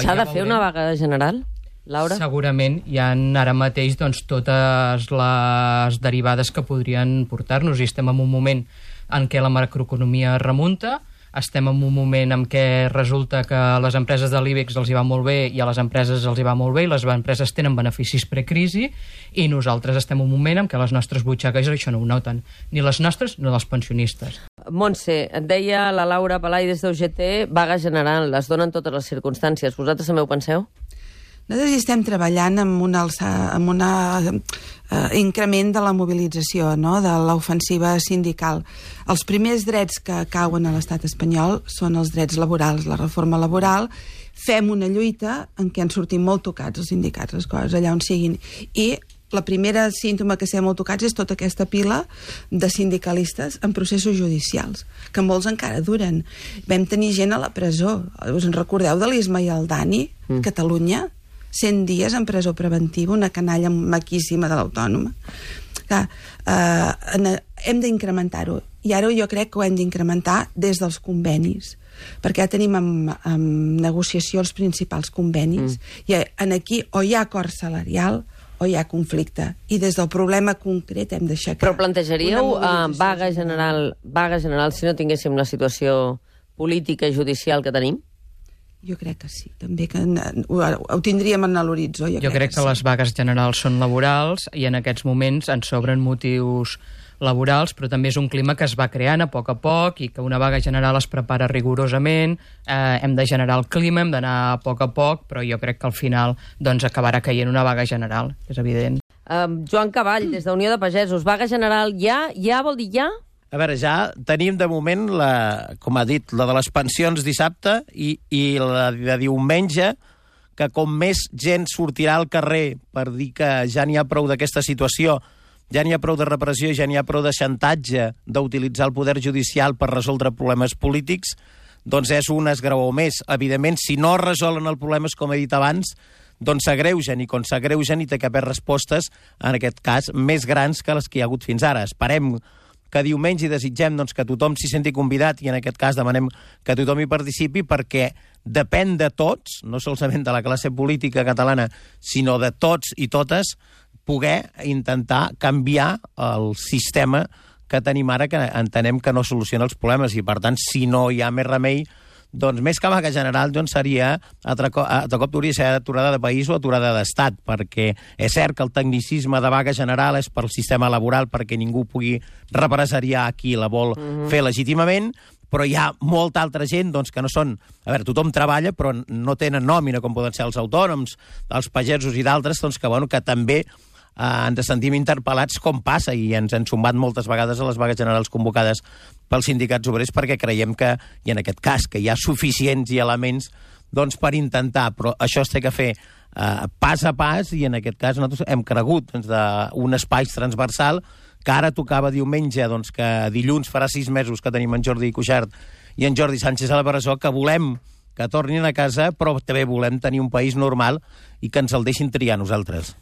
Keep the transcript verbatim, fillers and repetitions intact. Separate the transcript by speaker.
Speaker 1: S'ha de fer una vaga general, Laura?
Speaker 2: Segurament hi ha ara mateix doncs, totes les derivades que podrien portar-nos, i estem en un moment en què la macroeconomia remunta, estem en un moment en què resulta que a les empreses de l'IBEX els hi va molt bé i a les empreses els hi va molt bé i les empreses tenen beneficis precrisi, i nosaltres estem en un moment en què les nostres butxaques això no ho noten, ni les nostres ni les pensionistes.
Speaker 1: Montse, et deia la Laura Palai des d'U G T, vaga general, les donen totes les circumstàncies. Vosaltres també ho penseu?
Speaker 3: Nosaltres estem treballant amb un alça, amb un uh, increment de la mobilització, no?, de l'ofensiva sindical. Els primers drets que cauen a l'estat espanyol són els drets laborals, la reforma laboral. Fem una lluita en què han sortit molt tocats els sindicats, les coses allà on siguin. I la primera símptoma que estem molt tocats és tota aquesta pila de sindicalistes en processos judicials, que molts encara duren. Vam tenir gent a la presó. Us en recordeu de l'Isma i el Dani? Mm. Catalunya? cent dies en presó preventiva, una canalla maquíssima de l'Autònoma. Clar, eh, hem d'incrementar-ho. I ara jo crec que ho hem d'incrementar des dels convenis, perquè ja tenim en, en negociació els principals convenis, mm. i en aquí o hi ha acord salarial o hi ha conflicte. I des del problema concret hem d'aixecar.
Speaker 1: Però plantejaríeu uh, vaga general, vaga general si no tinguéssim la situació política i judicial que tenim?
Speaker 3: Jo crec que sí, també que ho, ho tindríem en l'horitzó. Jo,
Speaker 2: jo crec, crec que, que sí. Les vagues generals són laborals i en aquests moments ens sobren motius laborals, però també és un clima que es va creant a poc a poc i que una vaga general es prepara rigorosament, eh, hem de generar el clima, hem d'anar a poc a poc, però jo crec que al final doncs, acabarà caient una vaga general, és evident.
Speaker 1: Um, Joan Caball, des d'Unió de Pagesos, vaga general ja? Ja vol dir ja?
Speaker 4: A veure, ja tenim de moment, la, com ha dit, la de les pensions dissabte i, i la de diumenge, que com més gent sortirà al carrer per dir que ja n'hi ha prou d'aquesta situació, ja n'hi ha prou de repressió, ja n'hi ha prou de xantatge d'utilitzar el poder judicial per resoldre problemes polítics, doncs és un esgraó més. Evidentment, si no resolen els problemes, com he dit abans, doncs s'agreugen, i quan s'agreugen hi té que haver respostes, en aquest cas, més grans que les que hi ha hagut fins ara. Esperem que diumenge i desitgem doncs, que tothom s'hi senti convidat, i en aquest cas demanem que tothom hi participi, perquè depèn de tots, no solament de la classe política catalana, sinó de tots i totes, poder intentar canviar el sistema que tenim ara, que entenem que no soluciona els problemes, i per tant, si no hi ha més remei, doncs més que vaga general doncs seria, altre cop, altre cop hauria de ser aturada de país o aturada d'estat, perquè és cert que el tecnicisme de vaga general és pel sistema laboral, perquè ningú pugui represaliar qui la vol mm-hmm. fer legítimament, però hi ha molta altra gent doncs, que no són... A veure, tothom treballa, però no tenen nòmina, com poden ser els autònoms, els pagesos i d'altres, doncs, que, bueno, que també Uh, ens sentim interpel·lats com passa, i ens han sumbat moltes vegades a les vagues generals convocades pels sindicats obrers, perquè creiem que, i en aquest cas, que hi ha suficients i elements doncs, per intentar, però això es té que fer uh, pas a pas, i en aquest cas nosaltres hem cregut doncs, d'un espai transversal, que ara tocava diumenge, doncs, que dilluns farà sis mesos que tenim en Jordi Cuixart i en Jordi Sánchez a la presó, que volem que tornin a casa, però també volem tenir un país normal i que ens el deixin triar nosaltres.